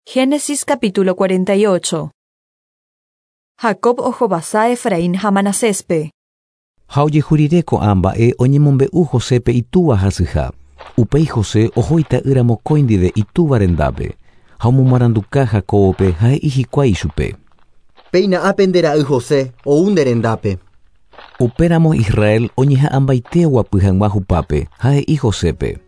Génesis capítulo 48. Jacob ohovasa Efraín ha Manaséspe. Ha ojehu rire ko'ã mba'e oñemombe'u Josépe itúva hasyha. Upéi José oho ita'ýra mokõi ndive itúva rendápe, ha omomaranduka Jacóbope ha he'i hikuái ichupe. Péina ápe nde ra'y José, ou nde rendápe. Upéramo Israel oñeha'ãmbaite oguapy hag̃ua hupápe, ha he'i Josépe.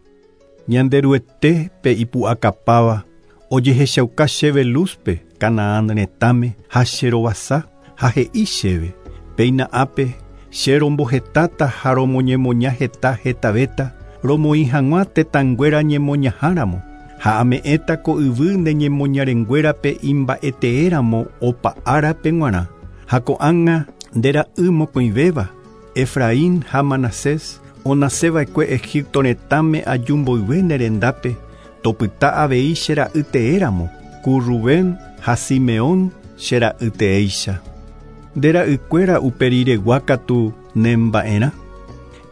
Ñanderuete pe ipu'akapáva ojehechauka chéve Luzpe, Canaán retãme ha che rovasa, ha he'i chéve, Péina ápe, che rombohetáta ha romoñemoña heta hetavéta, romoĩ hag̃ua tetãnguéra ñemoñaháramo, ha ame'ẽta ko yvy ne ñemoñarenguérape imba'eteéramo opa árape g̃uarã, ha ko'ág̃a nde ra'y mokõivéva, Efraín ha Manasés, onaseva'ekue Egipto retãme aju mboyve ne rendápe, topyta avei che ra'y teéramo, ku Rubén ha Simeón che ra'y teéicha. Nde ra'ykuéra uperiregua katu nemba'erã.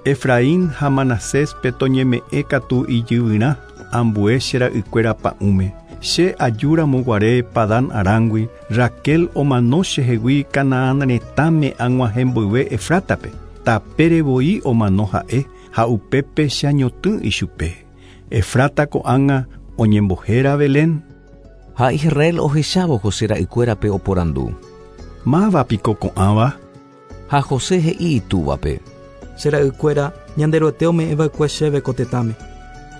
Efraín ha Manaséspe toñeme'ẽ katu ijyvyrã ambue che ra'ykuéra pa'ũme. Che ajúramo guare Padán Arángui, Raquel omano chehegui Canaán retãme ag̃uahẽ mboyve Efrátape. Tapére voi omano ha'e ha upépe che añotỹ ichupe. Efrata ko'ág̃a oñembohéra Belén. Ha Israel ohechávo José ra'ykuérape oporandu. Máva piko ko'ãva? Ha José he'i itúvape. Che ra'ykuéra Ñanderuete ome'ẽva'ekue chéve ko tetãme.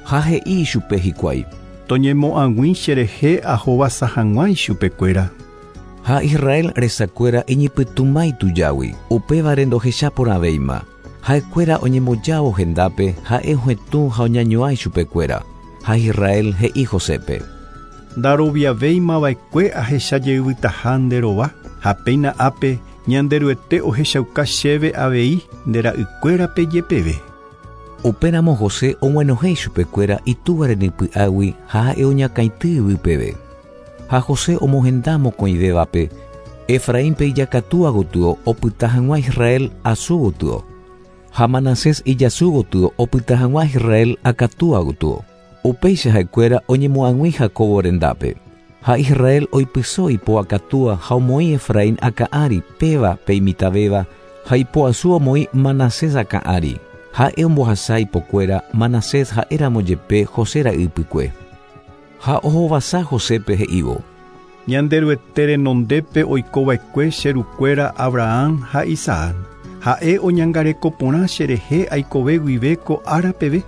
Ha he'i ichupe hikuái. Toñemo'ag̃ui cherehe ahovasa hag̃ua ichupekuéra. Ha Israel resakuéra iñypytũma itujágui, upévare ndohecha porãvéima. Ha'ekuéra oñembojávo hendápe, ha'e ohetũ ha oñañuã ichupekuéra. Ha Israel he'i Josépe. Ndaroviavéimava'ekue ahecha jeyvytaha nde rova, ha péina ápe Ñanderuete ohechauka chéve avei nde ra'ykuérape jepeve. Upéramo José og̃uenohẽ ichupekuéra itúva renypy'águi ha ha'e oñakãity yvy peve. Ha José omohenda mokõivévape, Efraínpe ijakatúa gotyo opyta hag̃ua Israel asu gotyo, ha Manasés ijasu gotyo opyta hag̃ua Israel akatúa gotyo. Upéicha ha'ekuéra oñemoag̃ui Jacóbo rendápe. Ha Israel oipyso ipo akatúa ha omoĩ Efraín akã ári, péva pe imitãvéva, ha ipo asu omoĩ Manasés akã ári. Ha'e ombohasa ipokuéra, Manasés ha'éramo jepe José ra'y ypykue. Ha ohovasa Josépe he'ívo. Ñanderuete renondépe oikova'ekue che rukuéra Abraham ha Isaac. Ha'e oñangareko porã cherehe aikove guive ko ára peve.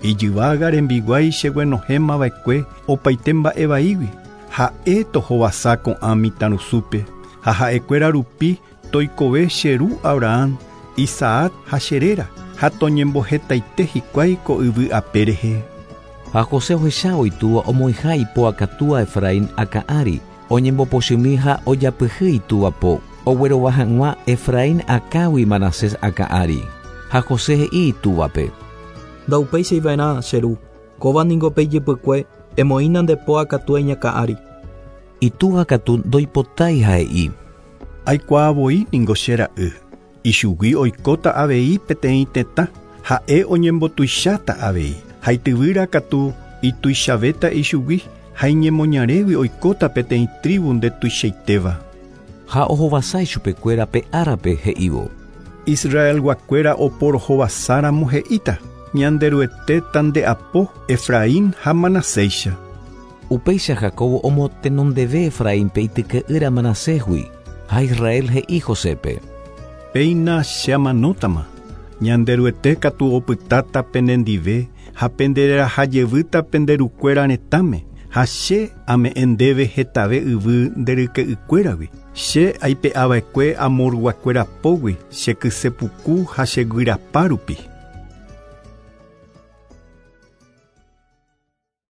Ijyvága rembiguái cheguenohẽmava'ekue opaite mba'e vaígui. Ha'e tohovasa ko'ã mitãrusúpe, ha ha'ekuéra rupi toikove che ru Abraham, Isaac ha che réra, ha toñembohetaite hikuái ko yvy ape rehe. Ha José ohechávo itúva omoĩha ipo akatúa Efraín akã ári, oñembopochymi ha ojapyhy itúva po, oguerova hag̃ua Efraín akãgui Manasés akã ári. Ha José he'i itúvape. Ndaupéichai va'erã, che ru, kóva ningo pe ijypykue, emoĩna nde po akatúa iñakã ári. Itúva katu ndoipotái ha he'i. Aikuaa voi ningo che ra'y, ichugui oikóta avei peteĩ tetã, ha'e oñembotuicháta avei, ha ityvýra katu ituichavéta ichugui, ha iñemoñarégui oikóta peteĩ trívu ndetuichaitéva. Ha ohovasa ichupekuéra pe árape he'ívo. Israelguakuéra oporohovasáramo he'íta, Ñanderuete tande'apo Efraín ha Manaséicha. Upéicha Jacóbo omotenondeve Efraínpe ityke'ýra Manasésgui, ha Israel he'i Josépe. Péina che amanótama, Ñanderuete katu opytáta penendive ha pendereraha jevýta pende rukuéra retãme, ha che ame'ẽ ndéve hetave yvy nde ryke'ykuéragui. Che aipe'ava'ekue Amorguakuéra pógui che kyse puku ha che guyrapa rupi.